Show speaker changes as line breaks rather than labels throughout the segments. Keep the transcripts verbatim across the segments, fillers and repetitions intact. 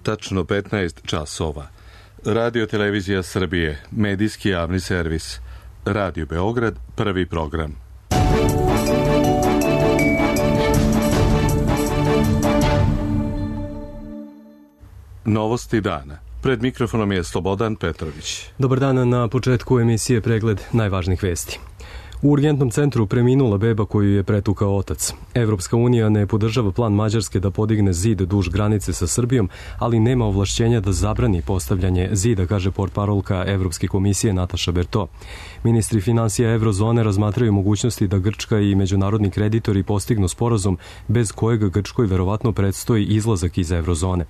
Tačno petnaest časova. Radio Televizija Srbije, medijski javni servis. Radio Beograd, prvi program. Novosti dana. Pred mikrofonom je Slobodan Petrović.
Dobar dan, na početku emisije pregled najvažnijih vesti. U urgentnom centru preminula beba koju je pretukao otac. Evropska unija ne podržava plan Mađarske da podigne zid duž granice sa Srbijom, ali nema ovlašćenja da zabrani postavljanje zida, kaže portparolka Evropske komisije Nataša Berto. Ministri finansija Evrozone razmatraju mogućnosti da Grčka i međunarodni kreditori postignu sporazum bez kojeg Grčkoj verovatno predstoji izlazak iz Evrozone.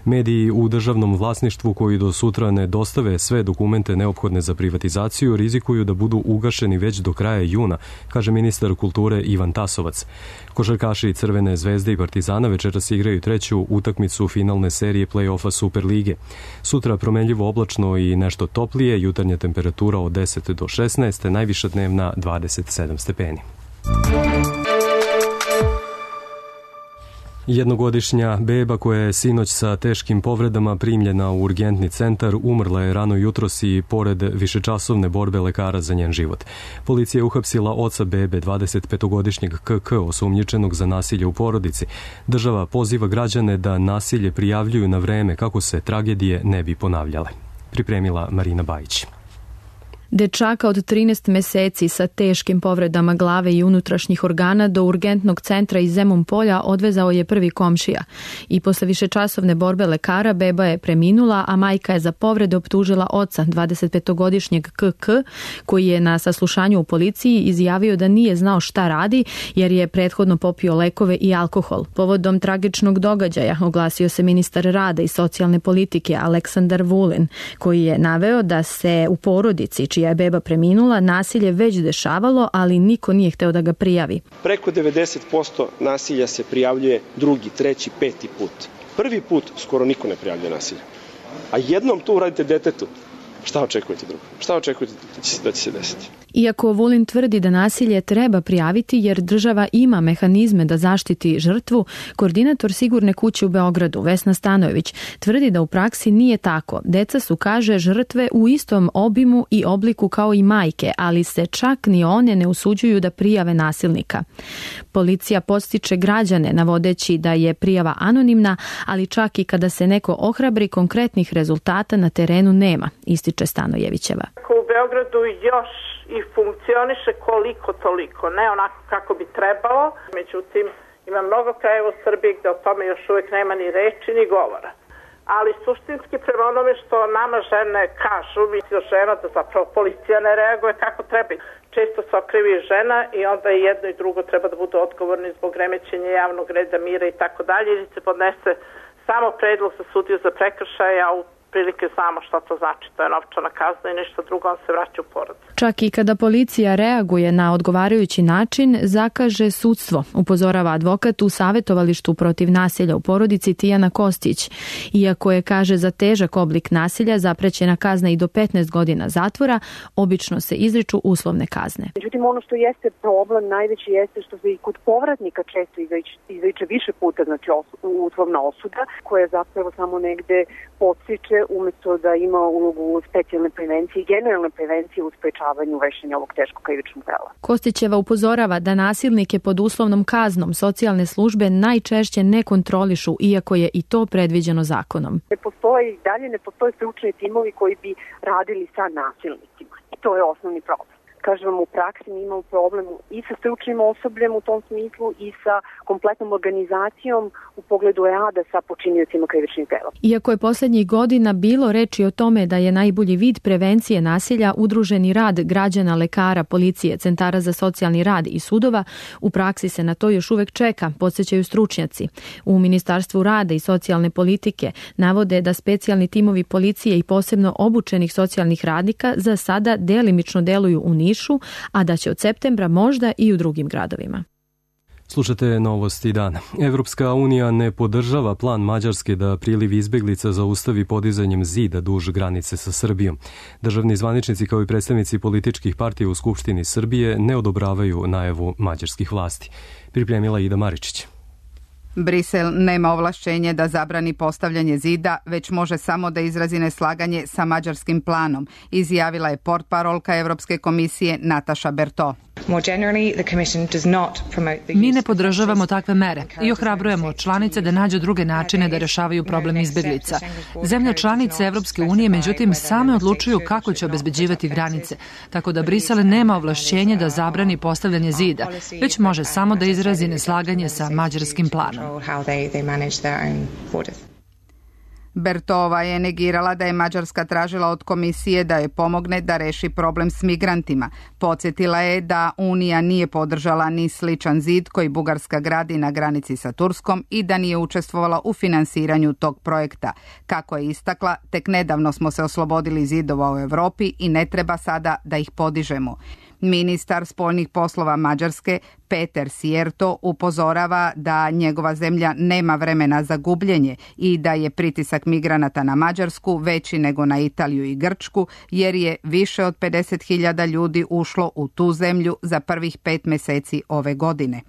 Mediji u državnom vlasništvu koji do sutra ne dostave sve dokumente neophodne za privatizaciju rizikuju da budu ugašeni već do kraja juna, kaže ministar kulture Ivan Tasovac. Košarkaši Crvene zvezde i Partizana večeras igraju treću utakmicu finalne serije play-offa Superlige. Sutra promenljivo oblačno i nešto toplije, jutarnja temperatura od deset do šesnaest, najviša dnevna dvadeset sedam stepeni. Jednogodišnja beba koja je sinoć sa teškim povredama primljena u urgentni centar umrla je rano jutros i pored višečasovne borbe lekara za njen život. Policija je uhapsila oca bebe, dvadesetpetogodišnjeg K K, osumnjičenog za nasilje u porodici. Država poziva građane da nasilje prijavljuju na vreme kako se tragedije ne bi ponavljale. Pripremila Marina Bajić.
Dečaka od trinaest meseci sa teškim povredama glave i unutrašnjih organa do urgentnog centra iz Zemun polja odvezao je prvi komšija. I posle višečasovne borbe lekara beba je preminula, a majka je za povrede optužila oca, dvadesetpetogodišnjeg K K, koji je na saslušanju u policiji izjavio da nije znao šta radi jer je prethodno popio lekove i alkohol. Povodom tragičnog događaja oglasio se ministar rada i socijalne politike Aleksandar Vulin, koji je naveo da se u porodici čija je beba preminula, nasilje već dešavalo, ali niko nije hteo da ga prijavi.
Preko devedeset posto nasilja se prijavljuje drugi, treći, peti put. Prvi put skoro niko ne prijavljuje nasilje. A jednom to uradite detetu, šta očekujete drugo? Šta očekujete da će se desiti?
Iako Vulin tvrdi da nasilje treba prijaviti jer država ima mehanizme da zaštiti žrtvu, koordinator Sigurne kuće u Beogradu, Vesna Stanojević, tvrdi da u praksi nije tako. Deca su, kaže, žrtve u istom obimu i obliku kao i majke, ali se čak ni one ne usuđuju da prijave nasilnika. Policija podstiče građane navodeći da je prijava anonimna, ali čak i kada se neko ohrabri, konkretnih rezultata na terenu nema, ističe Stanojevićeva.
U Beogradu još i funkcioniše koliko toliko, ne onako kako bi trebalo. Međutim, ima mnogo krajeva u Srbiji gde o tome još uvijek nema ni reči ni govora. Ali suštinski prema onome što nama žene kažu, misli žena da zapravo policija ne reaguje kako treba. Često se okrivi žena i onda i jedno i drugo treba da budu odgovorni zbog remećenja javnog reda, mira i tako dalje, ili se podnese samo predlog za sudiju za prekršaje, a u prilike znamo šta to znači, to je novčana kazna i nešto drugo, on se vraća u porodicu.
Čak i kada policija reaguje na odgovarajući način, zakaže sudstvo, upozorava advokat u savjetovalištu protiv nasilja u porodici Tijana Kostić. Iako je, kaže, za težak oblik nasilja zaprećena kazna i do petnaest godina zatvora, obično se izriču uslovne kazne.
Međutim, ono što jeste problem najveći jeste što se i kod povratnika često izriče više puta, znači uslovna osuda, koja zapravo samo negde podstiče umjesto da ima ulogu specijalne prevencije i generalne prevencije u sprečavanju vršenja ovog teškog krivičnog dela.
Kostićeva upozorava da nasilnike pod uslovnom kaznom socijalne službe najčešće ne kontrolišu, iako je i to predviđeno zakonom.
Ne postoji, dalje ne postoje stručni timovi koji bi radili sa nasilnicima. I to je osnovni problem. Kažem vam, u praksi mi imamo problem i sa stručnim osobljem u tom smislu i sa kompletnom organizacijom u pogledu rada sa počiniocima krivičnih dela.
Iako je posljednjih godina bilo reči o tome da je najbolji vid prevencije nasilja udruženi rad građana, lekara, policije, centara za socijalni rad i sudova, u praksi se na to još uvek čeka, podsjećaju stručnjaci. U Ministarstvu rada i socijalne politike navode da specijalni timovi policije i posebno obučenih socijalnih radnika za sada delimično deluju u Nišu, a da će od septembra možda i u drugim gradovima.
Slušate novosti dana. Evropska unija ne podržava plan Mađarske da priliv izbeglica zaustavi podizanjem zida duž granice sa Srbijom. Državni zvaničnici kao i predstavnici političkih partija u Skupštini Srbije ne odobravaju najavu mađarskih vlasti. Pripremila Ida Maričić.
Brisel nema ovlašćenje da zabrani postavljanje zida, već može samo da izrazi neslaganje sa mađarskim planom, izjavila je portparolka Evropske komisije Nataša Berto.
Mi ne podržavamo takve mere i ohrabrujemo članice da nađu druge načine da rešavaju problem izbeglica. Zemlje članice Evropske unije, međutim, same odlučuju kako će obezbeđivati granice, tako da Brisel nema ovlašćenje da zabrani postavljanje zida, već može samo da izrazi neslaganje sa mađarskim planom.
Bertova je negirala da je Mađarska tražila od komisije da joj pomogne da reši problem s migrantima. Podsjetila je da Unija nije podržala ni sličan zid koji Bugarska gradi na granici sa Turskom i da nije učestvovala u finansiranju tog projekta. Kako je istakla, tek nedavno smo se oslobodili zidova u Evropi i ne treba sada da ih podižemo. Ministar spoljnih poslova Mađarske Peter Sierto upozorava da njegova zemlja nema vremena za gubljenje i da je pritisak migranata na Mađarsku veći nego na Italiju i Grčku, jer je više od pedeset hiljada ljudi ušlo u tu zemlju za prvih pet meseci ove godine.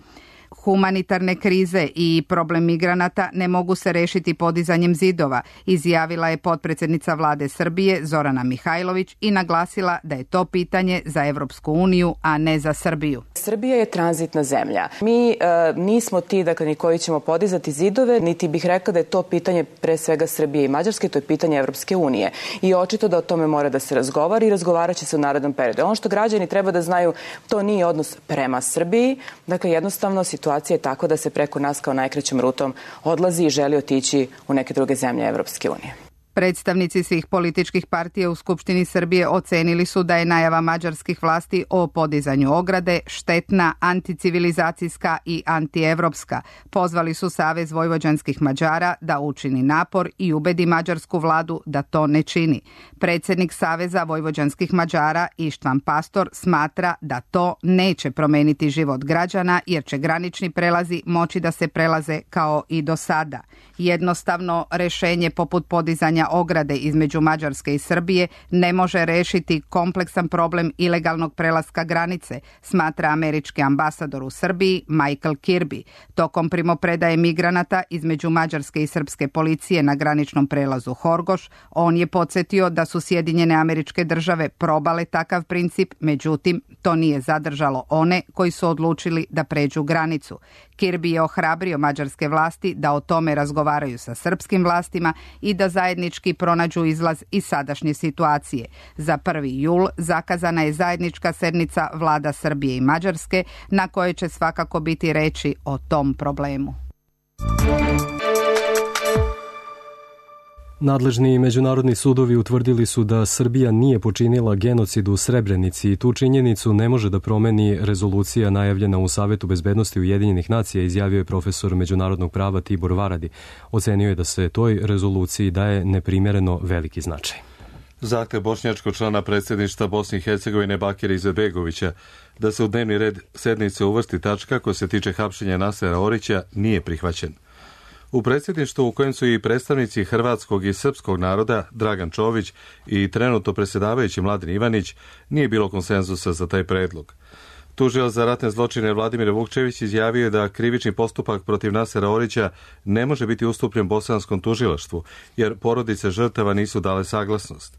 Humanitarne krize i problem migranata ne mogu se rešiti podizanjem zidova, izjavila je potpredsjednica vlade Srbije Zorana Mihajlović i naglasila da je to pitanje za Evropsku uniju, a ne za Srbiju.
Srbija je tranzitna zemlja. Mi e, nismo ti dakle, ni koji ćemo podizati zidove, niti bih rekla da je to pitanje pre svega Srbije i Mađarske, to je pitanje Evropske unije. I očito da o tome mora da se razgovara i razgovarat će se u narednom periodu. Ono što građani treba da znaju, to nije odnos prema Srbiji, dakle jednostavno situacija je tako da se preko nas kao najkraćom rutom odlazi i želi otići u neke druge zemlje Evropske unije.
Predstavnici svih političkih partija u Skupštini Srbije ocenili su da je najava mađarskih vlasti o podizanju ograde štetna, anticivilizacijska i antievropska. Pozvali su Savez vojvođanskih Mađara da učini napor i ubedi mađarsku vladu da to ne čini. Predsjednik Saveza vojvođanskih Mađara Ištvan Pastor smatra da to neće promeniti život građana jer će granični prelazi moći da se prelaze kao i do sada. Jednostavno rešenje poput podizanja ograde između Mađarske i Srbije ne može rešiti kompleksan problem ilegalnog prelaska granice, smatra američki ambasador u Srbiji Michael Kirby. Tokom primopredaje migranata između Mađarske i srpske policije na graničnom prelazu Horgoš, on je podsjetio da su Sjedinjene Američke Države probale takav princip, međutim, to nije zadržalo one koji su odlučili da pređu granicu. Kirby je ohrabrio mađarske vlasti da o tome razgovaraju sa srpskim vlastima i da zajednički pronađu izlaz iz sadašnje situacije. Za prvi jul zakazana je zajednička sednica vlada Srbije i Mađarske na kojoj će svakako biti reči o tom problemu.
Nadležni međunarodni sudovi utvrdili su da Srbija nije počinila genocid u Srebrenici i tu činjenicu ne može da promeni rezolucija najavljena u Savetu bezbednosti Ujedinjenih nacija, izjavio je profesor međunarodnog prava Tibor Varadi. Ocenio je da se toj rezoluciji daje neprimjereno veliki značaj.
Zahtev bošnjačkog člana predsjedništva Bosne i Hercegovine Bakira Izetbegovića da se u dnevni red sednice uvrsti tačka koja se tiče hapšenja Nasera Orića nije prihvaćen. U predsjedništvu u kojem su i predstavnici hrvatskog i srpskog naroda Dragan Čović i trenutno predsjedavajući Mladen Ivanić nije bilo konsenzusa za taj predlog. Tužilac za ratne zločine Vladimir Vukčević izjavio je da krivični postupak protiv Nasera Orića ne može biti ustupljen bosanskom tužilaštvu, jer porodice žrtava nisu dale saglasnost.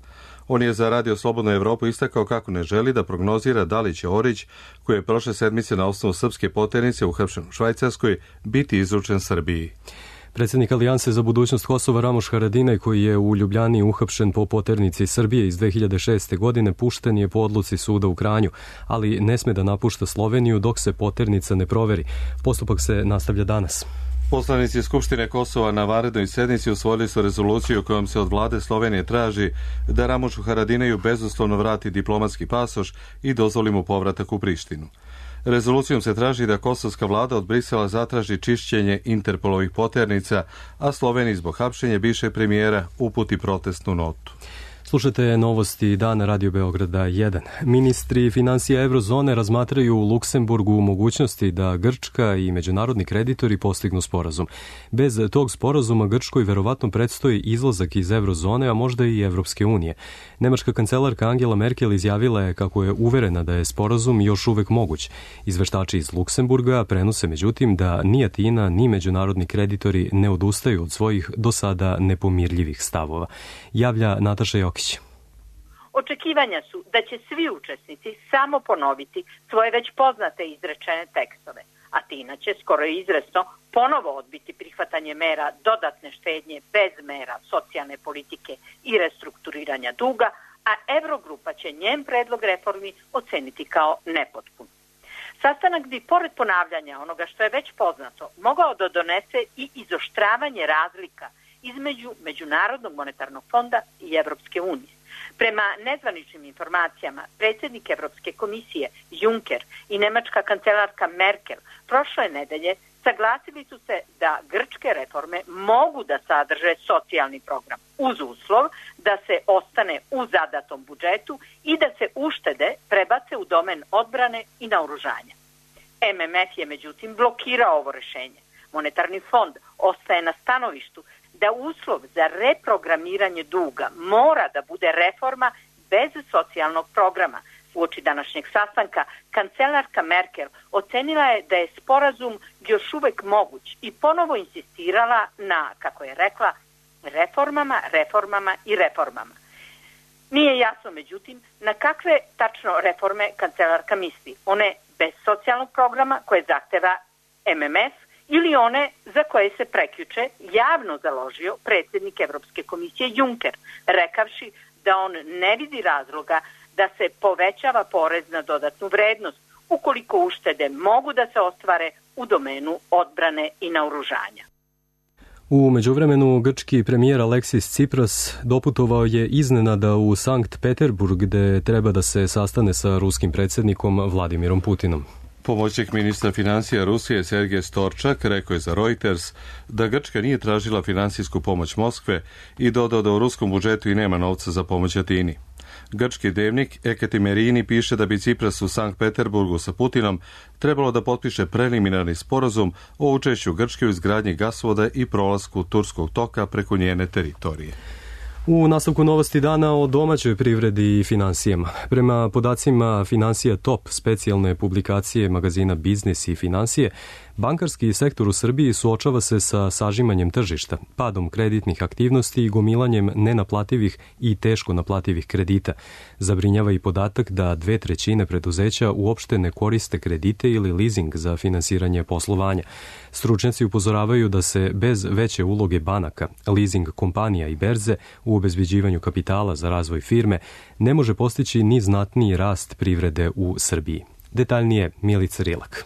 On je za Radio Slobodnu Evropu istakao kako ne želi da prognozira da li će Orić, koji je prošle sedmice na osnovu srpske poternice uhapšen u Švajcarskoj, biti izručen Srbiji.
Predsjednik Alijanse za budućnost Kosova Ramoš Haradinaj, koji je u Ljubljani uhapšen po poternici Srbije iz dve hiljade šeste. godine, pušten je po odluci suda u Kranju, ali ne sme da napušta Sloveniju dok se poternica ne proveri. Postupak se nastavlja danas.
Poslanici Skupštine Kosova na vanrednoj sednici usvojili su rezoluciju kojom se od vlade Slovenije traži da Ramošu Haradinaju bezuslovno vrati diplomatski pasoš i dozvoli mu povratak u Prištinu. Rezolucijom se traži da kosovska vlada od Brisela zatraži čišćenje Interpolovih poternica, a Sloveniji zbog hapšenja bivšeg premijera uputi protestnu notu.
Slušajte novosti dana Radio Beograda jedan. Ministri financija Eurozone razmatraju u Luksemburgu mogućnosti da Grčka i međunarodni kreditori postignu sporazum. Bez tog sporazuma Grčkoj verovatno predstoji izlazak iz Eurozone, a možda i Evropske unije. Nemačka kancelarka Angela Merkel izjavila je kako je uverena da je sporazum još uvek moguć. Izveštači iz Luksemburga prenose međutim da ni Atina ni međunarodni kreditori ne odustaju od svojih do sada nepomirljivih stavova. Javlja Nataša Jokić.
Očekivanja su da će svi učesnici samo ponoviti svoje već poznate izrečene tekstove. Atina će skoro izvesno ponovo odbiti prihvatanje mera dodatne štednje bez mera socijalne politike i restrukturiranja duga, a Eurogrupa će njen predlog reformi oceniti kao nepotpun. Sastanak bi, pored ponavljanja onoga što je već poznato, mogao da donese i izoštravanje razlika između Međunarodnog monetarnog fonda i Evropske unije. Prema nezvaničnim informacijama, predsjednik Evropske komisije Juncker i nemačka kancelarka Merkel prošle nedelje saglasili su se da grčke reforme mogu da sadrže socijalni program uz uslov da se ostane u zadatom budžetu i da se uštede prebace u domen odbrane i naoružanja. M M F je međutim blokirao ovo rešenje. Monetarni fond ostaje na stanovištu da uslov za reprogramiranje duga mora da bude reforma bez socijalnog programa. Uoči današnjeg sastanka kancelarka Merkel ocenila je da je sporazum još uvek moguć i ponovo insistirala na, kako je rekla, reformama, reformama i reformama. Nije jasno, međutim, na kakve tačno reforme kancelarka misli. One bez socijalnog programa koje zahteva M M F ili one za koje se prekjuče javno založio predsjednik Evropske komisije Juncker, rekavši da on ne vidi razloga da se povećava porez na dodatnu vrednost ukoliko uštede mogu da se ostvare u domenu odbrane i naoružanja.
U međuvremenu grčki premijer Aleksis Tsipras doputovao je iznenada u Sankt Peterburg gde treba da se sastane sa ruskim predsjednikom Vladimirom Putinom.
Pomoćnik ministra financija Rusije Sergej Storčak rekao je za Reuters da Grčka nije tražila finansijsku pomoć Moskve i dodao da u ruskom budžetu i nema novca za pomoć Atini. Grčki dnevnik Ekatimerini piše da bi Tsipras u Sankt Peterburgu sa Putinom trebalo da potpiše preliminarni sporazum o učešću Grčke u izgradnji gasovoda i prolasku Turskog toka preko njene teritorije.
U nastavku novosti dana o domaćoj privredi i finansijama. Prema podacima Financija Top, specijalne publikacije magazina Biznis i financije, bankarski sektor u Srbiji suočava se sa sažimanjem tržišta, padom kreditnih aktivnosti i gomilanjem nenaplativih i teško naplativih kredita. Zabrinjava i podatak da dve trećine preduzeća uopšte ne koriste kredite ili leasing za finansiranje poslovanja. Stručnjaci upozoravaju da se bez veće uloge banaka, leasing kompanija i berze u obezbeđivanju kapitala za razvoj firme ne može postići ni znatniji rast privrede u Srbiji. Detaljnije Milica Rilak.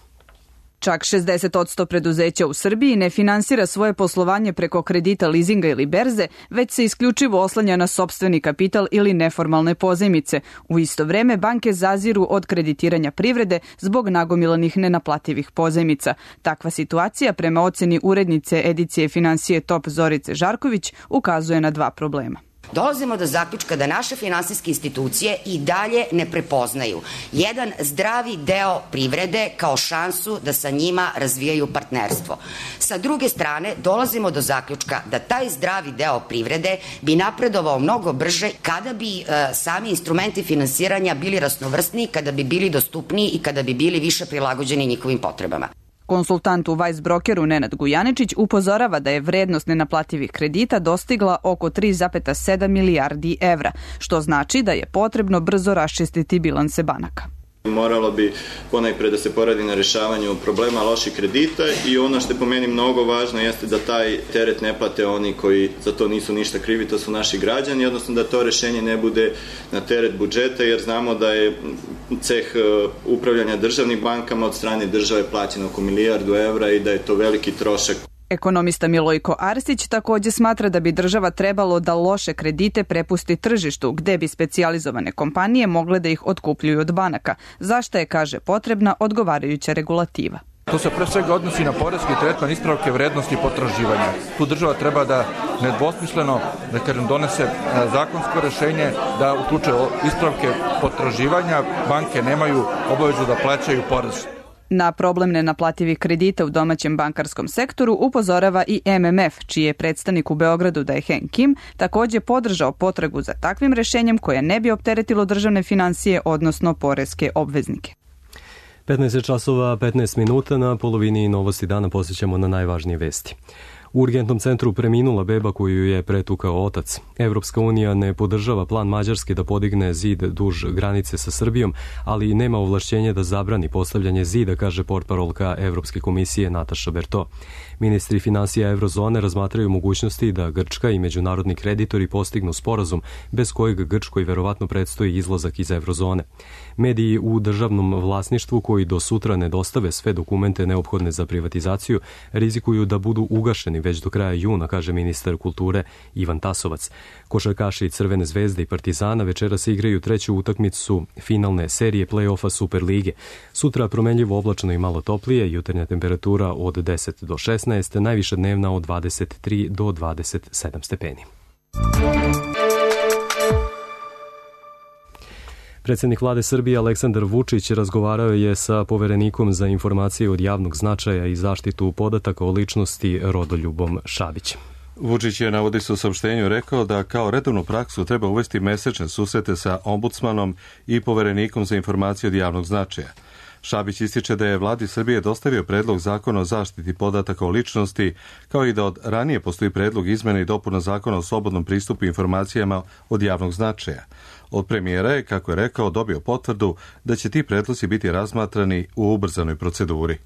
Čak šezdeset posto preduzeća u Srbiji ne finansira svoje poslovanje preko kredita, lizinga ili berze, već se isključivo oslanja na sopstveni kapital ili neformalne pozajmice. U isto vreme banke zaziru od kreditiranja privrede zbog nagomilanih nenaplativih pozajmica. Takva situacija, prema oceni urednice edicije Financije Top Zorice Žarković, ukazuje na dva problema.
Dolazimo do zaključka da naše finansijske institucije i dalje ne prepoznaju jedan zdravi deo privrede kao šansu da sa njima razvijaju partnerstvo. Sa druge strane, dolazimo do zaključka da taj zdravi deo privrede bi napredovao mnogo brže kada bi e, sami instrumenti finansiranja bili raznovrsniji, kada bi bili dostupniji i kada bi bili više prilagođeni njihovim potrebama.
Konsultant u Weissbrokeru Nenad Gujaničić upozorava da je vrednost nenaplativih kredita dostigla oko tri zarez sedam milijardi evra, što znači da je potrebno brzo raščistiti bilanse banaka.
Moralo bi ponajpre da se poradi na rešavanju problema loših kredita i ono što je po meni mnogo važno jeste da taj teret ne plate oni koji za to nisu ništa krivi, to su naši građani, odnosno da to rešenje ne bude na teret budžeta, jer znamo da je ceh upravljanja državnim bankama od strane države plaćen oko milijardu evra i da je to veliki trošak.
Ekonomista Milojko Arsić takođe smatra da bi država trebalo da loše kredite prepusti tržištu, gde bi specijalizovane kompanije mogle da ih otkupljuju od banaka, zašto je, kaže, potrebna odgovarajuća regulativa.
To se pre svega odnosi na poreski tretman ispravke vrednosti potraživanja. Tu država treba da nedvosmisleno, da kažem, donese zakonsko rešenje da u slučaju ispravke potraživanja banke nemaju obavezu da plaćaju porez.
Na problem nenaplativih kredita u domaćem bankarskom sektoru upozorava i M M F, čiji je predstavnik u Beogradu Dae-Heng Kim takođe podržao potragu za takvim rešenjem koje ne bi opteretilo državne finansije, odnosno poreske obveznike.
petnaest časova petnaest minuta, na polovini Novosti dana posjećamo na najvažnije vesti. U urgentnom centru preminula beba koju je pretukao otac. Evropska unija ne podržava plan Mađarske da podigne zid duž granice sa Srbijom, ali nema ovlašćenja da zabrani postavljanje zida, kaže portparolka Evropske komisije Nataša Berto. Ministri finansija Evrozone razmatraju mogućnosti da Grčka i međunarodni kreditori postignu sporazum bez kojeg Grčkoj verovatno predstoji izlazak iz Evrozone. Mediji u državnom vlasništvu koji do sutra ne dostave sve dokumente neophodne za privatizaciju rizikuju da budu ugašeni već do kraja juna, kaže ministar kulture Ivan Tasovac. Košarkaši Crvene zvezde i Partizana večeras igraju treću utakmicu finalne serije play-offa Superlige. Sutra promenljivo oblačno i malo toplije, jutarnja temperatura od deset do šesnaest, najviša dnevna od dvadeset tri do dvadeset sedam stepeni. Predsjednik vlade Srbije Aleksandar Vučić razgovarao je sa poverenikom za informacije od javnog značaja i zaštitu podataka o ličnosti Rodoljubom Šabićem.
Vučić je, navodi se u saopštenju, rekao da kao redovnu praksu treba uvesti mesečne susrete sa ombudsmanom i poverenikom za informacije od javnog značaja. Šabić ističe da je vladi Srbije dostavio predlog zakona o zaštiti podataka o ličnosti, kao i da od ranije postoji predlog izmena i dopuna zakona o slobodnom pristupu informacijama od javnog značaja. Od premijera je, kako je rekao, dobio potvrdu da će ti predlozi biti razmatrani u ubrzanoj proceduri.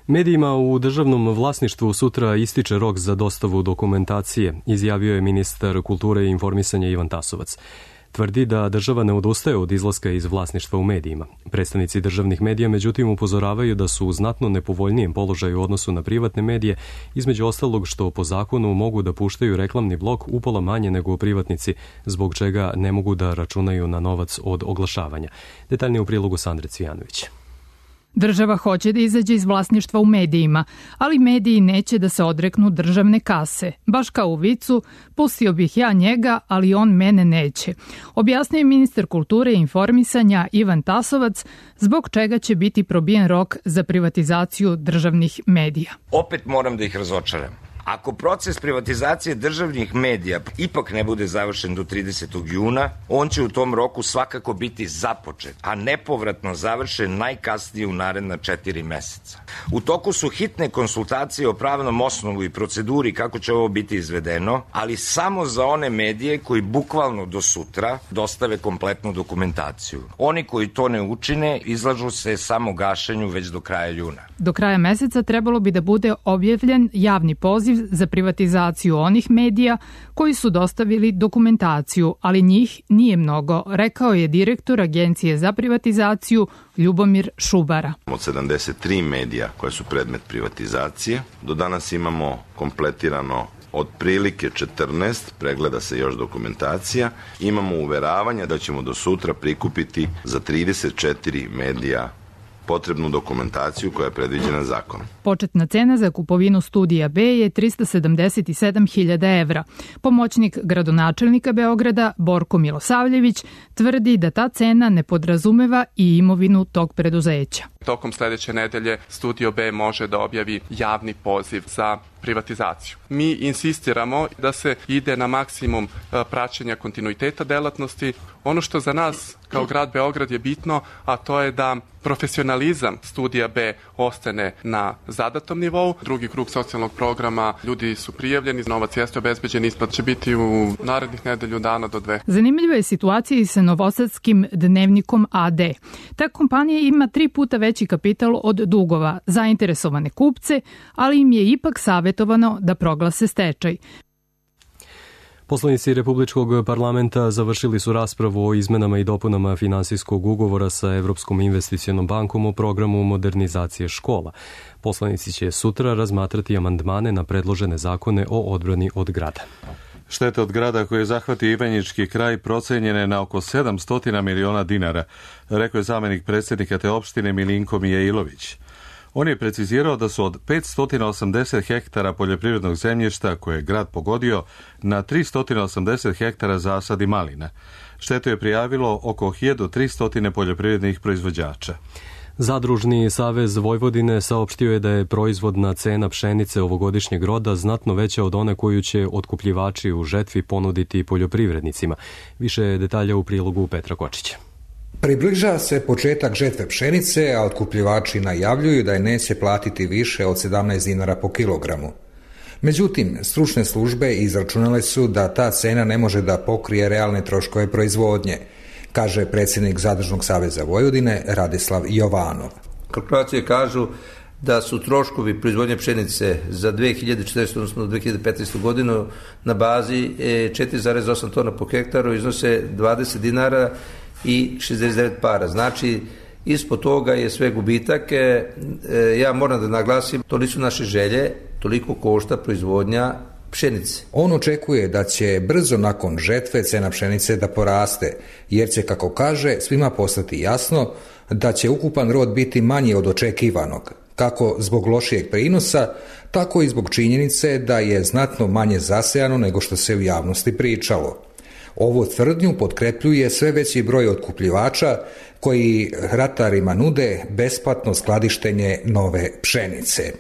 Medijima u državnom vlasništvu sutra ističe rok za dostavu dokumentacije, izjavio je ministar kulture i informisanja Ivan Tasovac. Tvrdi da država ne odustaje od izlaska iz vlasništva u medijima. Predstavnici državnih medija međutim upozoravaju da su u znatno nepovoljnijem položaju u odnosu na privatne medije, između ostalog što po zakonu mogu da puštaju reklamni blok upola manje nego privatnici, zbog čega ne mogu da računaju na novac od oglašavanja. Detaljnije u prilogu Sandre Cvijanović.
Država hoće da izađe iz vlasništva u medijima, ali mediji neće da se odreknu državne kase. Baš kao u vicu, pustio bih ja njega, ali on mene neće. Objasnio je ministar kulture i informisanja Ivan Tasovac, zbog čega će biti probijen rok za privatizaciju državnih medija.
Opet moram da ih razočaram. Ako proces privatizacije državnih medija ipak ne bude završen do tridesetog juna, on će u tom roku svakako biti započet, a nepovratno završen najkasnije u naredna četiri meseca. U toku su hitne konsultacije o pravnom osnovu i proceduri kako će ovo biti izvedeno, ali samo za one medije koji bukvalno do sutra dostave kompletnu dokumentaciju. Oni koji to ne učine izlažu se samo gašenju već do kraja juna.
Do kraja meseca trebalo bi da bude objavljen javni poziv za privatizaciju onih medija koji su dostavili dokumentaciju, ali njih nije mnogo, rekao je direktor Agencije za privatizaciju Ljubomir Šubara.
Od sedamdeset tri medija koje su predmet privatizacije, do danas imamo kompletirano otprilike četrnaest, pregleda se još dokumentacija, imamo uveravanja da ćemo do sutra prikupiti za trideset četiri medija potrebnu dokumentaciju koja je predviđena zakonom.
Početna cena za kupovinu studija B je trista sedamdeset sedam hiljada evra. Pomoćnik gradonačelnika Beograda Borko Milosavljević tvrdi da ta cena ne podrazumeva i imovinu tog preduzeća.
Tokom sledeće nedelje Studio B može da objavi javni poziv za privatizaciju. Mi insistiramo da se ide na maksimum praćenja kontinuiteta delatnosti. Ono što za nas kao grad Beograd je bitno, a to je da profesionalizam Studija B ostane na zadatom nivou. Drugi krug socijalnog programa, ljudi su prijavljeni, novac jeste obezbeđen, isplata će biti u narednih nedelju dana do dve.
Zanimljiva je situacija i sa novosadskim dnevnikom A D. Ta kompanija ima tri puta veći kapital od dugova, zainteresovane kupce, ali im je ipak savjetovano da proglase stečaj.
Poslanici Republičkog parlamenta završili su raspravu o izmenama i dopunama finansijskog ugovora sa Evropskom investicionom bankom o programu modernizacije škola. Poslanici će sutra razmatrati amandmane na predložene zakone o odbrani od grada.
Štete od grada koje zahvati Ivanjički kraj procenjene na oko sedamsto miliona dinara, rekao je zamenik predsjednika te opštine Milinko Mijailović. On je precizirao da su od petsto osamdeset hektara poljoprivrednog zemljišta koje je grad pogodio na tristo osamdeset hektara zasadi malina. Štetu je prijavilo oko hiljadu tristo poljoprivrednih proizvođača.
Zadružni savez Vojvodine saopštio je da je proizvodna cena pšenice ovogodišnjeg roda znatno veća od one koju će otkupljivači u žetvi ponuditi poljoprivrednicima. Više detalja u prilogu Petra Kočića.
Približava se početak žetve pšenice, a otkupljivači najavljuju da je neće platiti više od sedamnaest dinara po kilogramu. Međutim, stručne službe izračunale su da ta cena ne može da pokrije realne troškove proizvodnje, kaže predsjednik Zadružnog saveza Vojvodine Radislav Jovanov.
Kalkulacije kažu da su troškovi proizvodnje pšenice za dve hiljade četrnaestu. odnosno dve hiljade petnaestu. godinu na bazi četiri zarez osam tona po hektaru iznose dvadeset dinara i šezdeset devet para. Znači, ispod toga je sve gubitak. Ja moram da naglasim, to nisu naše želje, toliko košta proizvodnja pšenice.
On očekuje da će brzo nakon žetve cena pšenice da poraste, jer će, kako kaže, svima postati jasno da će ukupan rod biti manji od očekivanog, kako zbog lošijeg prinosa, tako i zbog činjenice da je znatno manje zasejano nego što se u javnosti pričalo. Ovu tvrdnju potkrepljuje sve veći broj otkupljivača koji ratarima nude besplatno skladištenje nove pšenice.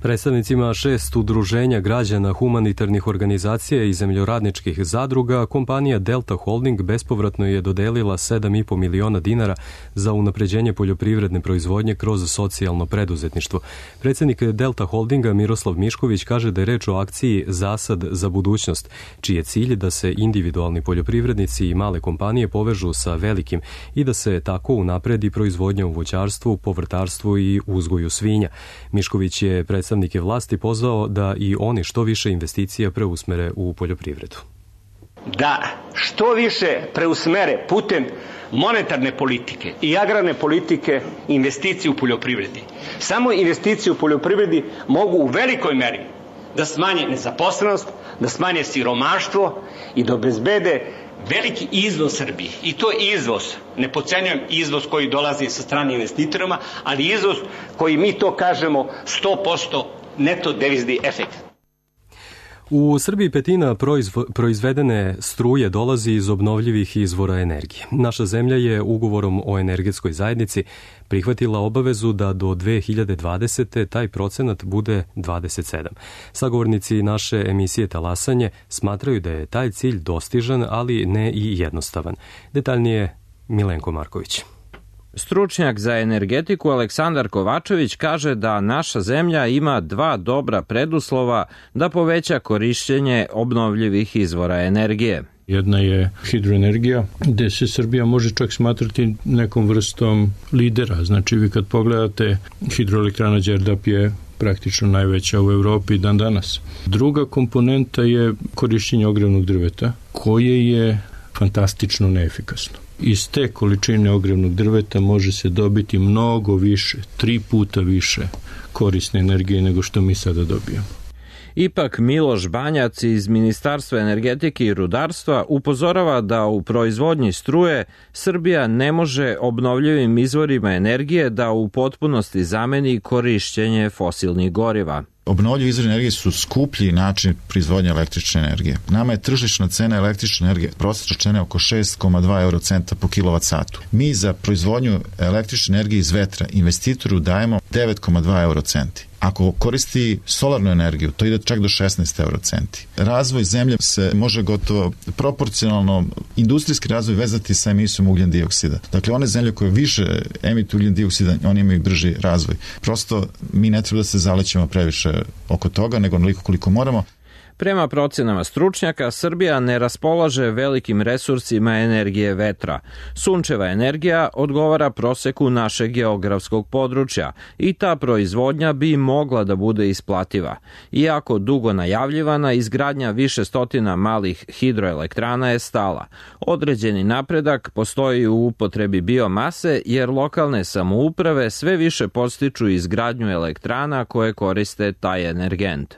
Predstavnicima šest udruženja građana, humanitarnih organizacija i zemljoradničkih zadruga, kompanija Delta Holding bespovratno je dodelila sedam i po miliona dinara za unapređenje poljoprivredne proizvodnje kroz socijalno preduzetništvo. Predsjednik Delta Holdinga Miroslav Mišković kaže da je reč o akciji Zasad za budućnost, čiji je cilj da se individualni poljoprivrednici i male kompanije povežu sa velikim i da se tako unapredi proizvodnja u voćarstvu, povrtarstvu i uzgoju svinja. Mišković je predstavnik Predstavnike vlasti pozvao da i oni što više investicija preusmere u poljoprivredu.
Da što više preusmere putem monetarne politike i agrarne politike investicije u poljoprivredi. Samo investicije u poljoprivredi mogu u velikoj meri da smanje nezaposlenost, da smanje siromaštvo i da obezbede veliki izvoz Srbije. I to je izvoz, ne podcenjujem izvoz koji dolazi sa strane investitorima, ali izvoz koji mi to kažemo sto posto neto devizni efekt.
U Srbiji petina proizvo, proizvedene struje dolazi iz obnovljivih izvora energije. Naša zemlja je ugovorom o energetskoj zajednici prihvatila obavezu da do dve hiljade dvadesete. taj procenat bude dvadeset sedam. Sagovornici naše emisije Talasanje smatraju da je taj cilj dostižan, ali ne i jednostavan. Detaljnije Milenko Marković.
Stručnjak za energetiku Aleksandar Kovačević kaže da naša zemlja ima dva dobra preduslova da poveća korišćenje obnovljivih izvora energije.
Jedna je hidroenergija, gde se Srbija može čak smatrati nekom vrstom lidera. Znači, vi kad pogledate, hidroelektrana Đerdap je praktično najveća u Evropi dan danas. Druga komponenta je korišćenje ogrevnog drveta, koje je fantastično neefikasno. Iz te količine ogrevnog drveta može se dobiti mnogo više, tri puta više korisne energije nego što mi sada dobijamo.
Ipak Miloš Banjac iz Ministarstva energetike i rudarstva upozorava da u proizvodnji struje Srbija ne može obnovljivim izvorima energije da u potpunosti zameni korišćenje fosilnih goriva.
Obnovljivi izvori energije su skuplji način proizvodnje električne energije. Nama je tržišna cena električne energije prosječna cena oko šest zarez dva eurocenta po kilovat satu. Mi za proizvodnju električne energije iz vetra investitoru dajemo devet zarez dva eurocenti. Ako koristi solarnu energiju, to ide čak do šesnaest eurocenti. Razvoj zemlje se može gotovo proporcionalno, industrijski razvoj vezati sa emisijom ugljen dioksida. Dakle, one zemlje koje više emituju ugljen dioksida, oni imaju brži razvoj. Prosto, mi ne treba da se zalećemo previše oko toga, nego onoliko koliko moramo.
Prema procenama stručnjaka, Srbija ne raspolaže velikim resursima energije vetra. Sunčeva energija odgovara proseku našeg geografskog područja i ta proizvodnja bi mogla da bude isplativa. Iako dugo najavljivana, izgradnja više stotina malih hidroelektrana je stala. Određeni napredak postoji u upotrebi biomase, jer lokalne samouprave sve više podstiču izgradnju elektrana koje koriste taj energent.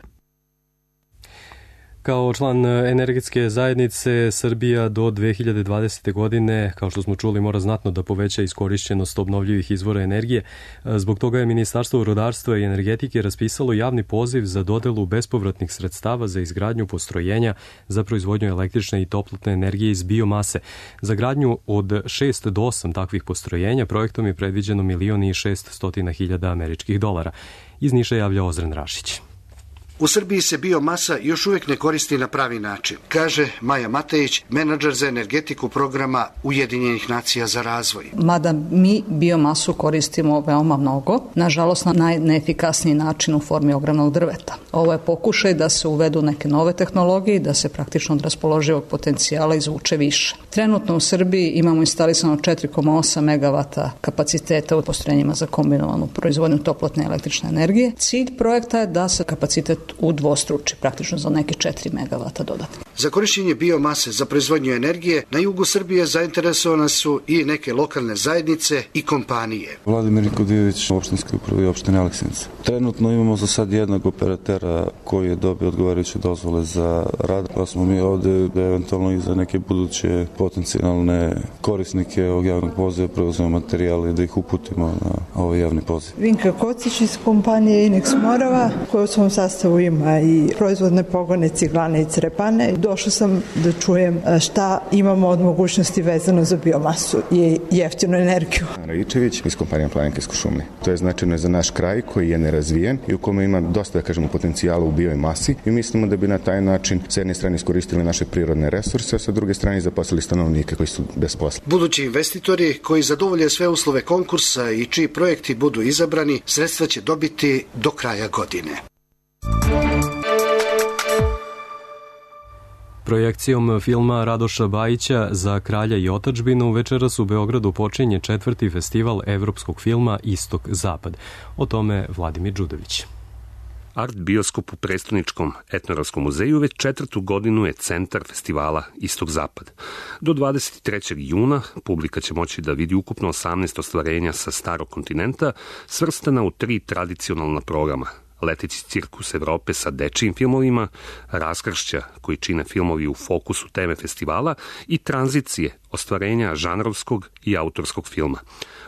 Kao član energetske zajednice, Srbija do dve hiljade dvadesete. godine, kao što smo čuli, mora znatno da poveća iskorišćenost obnovljivih izvora energije. Zbog toga je Ministarstvo rudarstva i energetike raspisalo javni poziv za dodelu bespovratnih sredstava za izgradnju postrojenja za proizvodnju električne i toplotne energije iz biomase. Za gradnju od šest do osam takvih postrojenja projektom je predviđeno milion i šeststotina hiljada američkih dolara. Iz Niša javlja Ozren Rašić.
U Srbiji se biomasa još uvijek ne koristi na pravi način, kaže Maja Matejić, menadžer za energetiku programa Ujedinjenih nacija za razvoj.
Mada mi biomasu koristimo veoma mnogo, nažalost na najneefikasniji način u formi ogromnog drveta. Ovo je pokušaj da se uvedu neke nove tehnologije i da se praktično od raspoloživog potencijala izvuče više. Trenutno u Srbiji imamo instalisano četiri zarez osam megavata kapaciteta u postrojenjima za kombinovanu proizvodnju toplotne električne energije. Cilj projekta je da se kapacitet udvostruči, praktično za neke četiri megavata dodatno.
Za korišćenje biomase za proizvodnju energije na jugu Srbije zainteresovane su i neke lokalne zajednice i kompanije.
Vladimir Nikodijević, opštinski upravi opštine Aleksinca. Trenutno imamo za sad jednog operatera koji je dobio odgovarajuće dozvole za rad, pa smo mi ovde eventualno i za neke buduće potencijalne korisnike ovog javnog poziva preuzemo materijale da ih uputimo na ovaj javni poziv.
Vinka Kocić iz kompanije Inex Morava, koja u svom sastavu ima i proizvodne pogone, ciglane i crepane. Došla sam da čujem šta imamo od mogućnosti vezano za biomasu i jeftinu energiju.
Rajičević iz kompanije Planinkarske šume. To je značajno za naš kraj koji je nerazvijen i u kome ima dosta, da kažemo, potencijala u biomasi i mislimo da bi na taj način s jedne strane iskoristili naše prirodne resurse, a sa druge strane zaposlili stanovnike koji su bez posla.
Budući investitori koji zadovolje sve uslove konkursa i čiji projekti budu izabrani, sredstva će dobiti do kraja godine.
Projekcijom filma Radoša Bajića Za kralja i otadžbinu večeras u Beogradu počinje četvrti festival evropskog filma Istok-Zapad. O tome Vladimir Đudović.
Art bioskop u Prestoničkom etnografskom muzeju već četvrtu godinu je centar festivala Istok-Zapad. Do dvadeset trećeg juna publika će moći da vidi ukupno osamnaest ostvarenja sa starog kontinenta, svrstana u tri tradicionalna programa. Leteći cirkus Evrope sa dečijim filmovima, raskršća koji čine filmovi u fokusu teme festivala i tranzicije, ostvarenja žanrovskog i autorskog filma.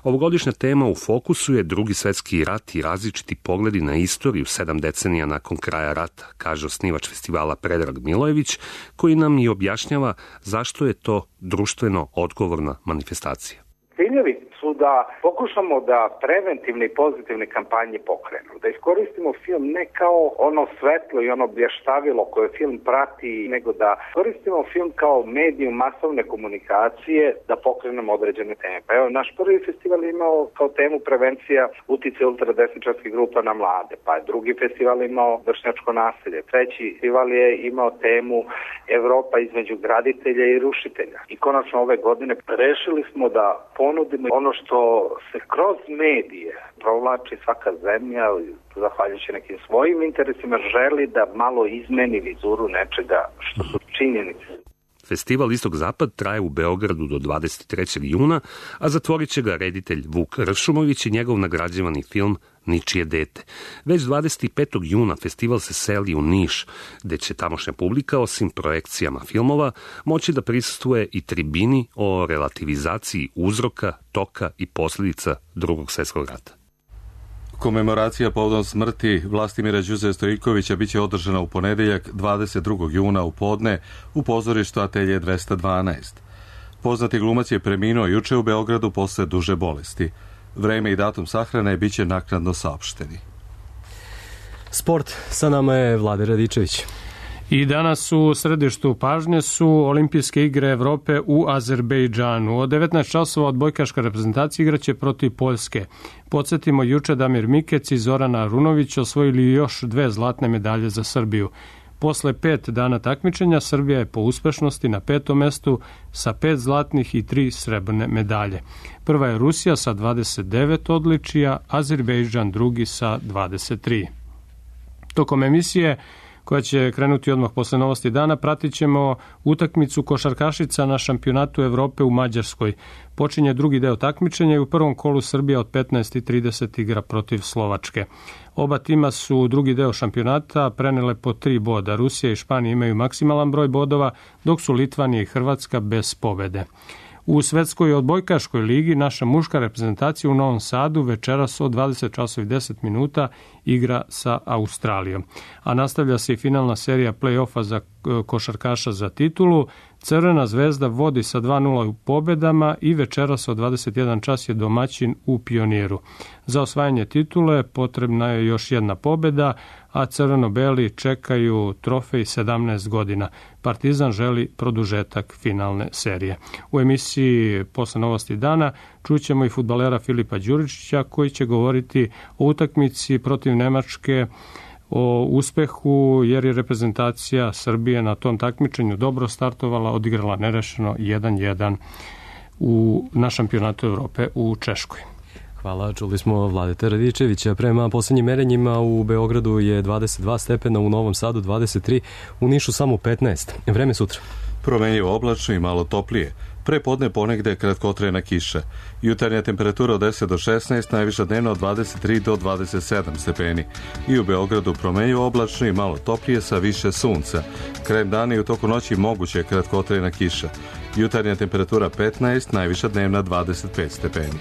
Ovogodišnja tema u fokusu je Drugi svetski rat i različiti pogledi na istoriju sedam decenija nakon kraja rata, kaže osnivač festivala Predrag Milojević, koji nam i objašnjava zašto je to društveno odgovorna manifestacija.
Ciljevi su da pokušamo da preventivne i pozitivne kampanje pokrenu, da iskoristimo film ne kao ono svetlo i ono blještavilo koje film prati, nego da koristimo film kao medijum masovne komunikacije da pokrenemo određene teme. Pa evo, naš prvi festival je imao kao temu prevencija uticaja ultradesničarskih grupa na mlade, pa je drugi festival imao vršnjačko nasilje, treći festival je imao temu Evropa između graditelja i rušitelja. I konačno ove godine rešili smo da ponudimo ono što se kroz medije provlači svaka zemlja, zahvaljujući nekim svojim interesima, želi da malo izmeni vizuru nečega što su činjenice.
Festival Istok-Zapad traje u Beogradu do dvadeset trećeg juna, a zatvorit će ga reditelj Vuk Ršumović i njegov nagrađivani film Ničije dete. Već dvadeset petog juna festival se seli u Niš, gde će tamošnja publika, osim projekcijama filmova, moći da prisustvuje i tribini o relativizaciji uzroka, toka i posljedica Drugog svjetskog rata.
Komemoracija povodom smrti Vlastimira Đuze Stojikovića biće održana u ponedeljak dvadeset drugog juna u podne u pozorištu Atelje dvesta dvanaest. Poznati glumac je preminuo juče u Beogradu posle duže bolesti. Vreme i datum sahrane biće naknadno saopšteni.
Sport, sa nama je Vlade Radičević.
I danas u središtu pažnje su Olimpijske igre Evrope u Azerbejdžanu. Od devetnaest časova odbojkaška reprezentacija igraće protiv Poljske. Podsjetimo, juče Damir Mikec i Zorana Arunović osvojili još dve zlatne medalje za Srbiju. Posle pet dana takmičenja Srbija je po uspešnosti na petom mestu sa pet zlatnih i tri srebrne medalje. Prva je Rusija sa dvadeset devet odličija, Azerbejdžan drugi sa dvadeset tri. Tokom emisije koja će krenuti odmah posle novosti dana. Pratit ćemo utakmicu košarkašica na šampionatu Evrope u Mađarskoj. Počinje drugi deo takmičenja i u prvom kolu Srbija od petnaest i trideset igra protiv Slovačke. Oba tima su drugi deo šampionata prenele po tri boda. Rusija i Španija imaju maksimalan broj bodova, dok su Litvanija i Hrvatska bez pobede. U svetskoj odbojkaškoj ligi naša muška reprezentacija u Novom Sadu večeras od dvadeset časova i deset minuta igra sa Australijom. A nastavlja se i finalna serija play-offa za košarkaša za titulu. Crvena zvezda vodi sa dva nula u pobedama i večeras od dvadeset jedan čas je domaćin u Pioniru. Za osvajanje titule potrebna je još jedna pobeda, a crveno-beli čekaju trofej sedamnaest godina. Partizan želi produžetak finalne serije. U emisiji posle novosti dana čućemo i fudbalera Filipa Đuričića koji će govoriti o utakmici protiv Nemačke, o uspehu jer je reprezentacija Srbije na tom takmičenju dobro startovala, odigrala nerešeno jedan jedan u, na šampionatu Evrope u Češkoj.
Hvala, čuli smo Vladeta Radičevića. Prema poslednjim merenjima u Beogradu je dvadeset dva stepena, u Novom Sadu dvadeset tri, u Nišu samo petnaest. Vreme sutra.
Promenljivo oblačno i malo toplije. Pre podne ponegde kratkotrajna kiša. Jutarnja temperatura od deset do šesnaest, najviša dnevna od dvadeset tri do dvadeset sedam stepeni. I u Beogradu promenljivo oblačno i malo toplije sa više sunca. Krajem dana i u toku noći moguće kratkotrajna kiša. Jutarnja temperatura petnaest, najviša dnevna dvadeset pet stepeni.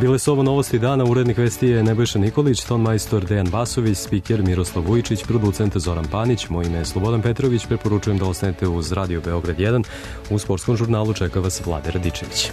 Bile su ovo novosti dana, urednik vesti je Nebojša Nikolić, ton majstor Dejan Basović, spiker Miroslav Vujičić, producent Zoran Panić, moje ime je Slobodan Petrović, preporučujem da ostanete uz Radio Beograd jedan, u sportskom žurnalu čeka vas Vlade Radičević.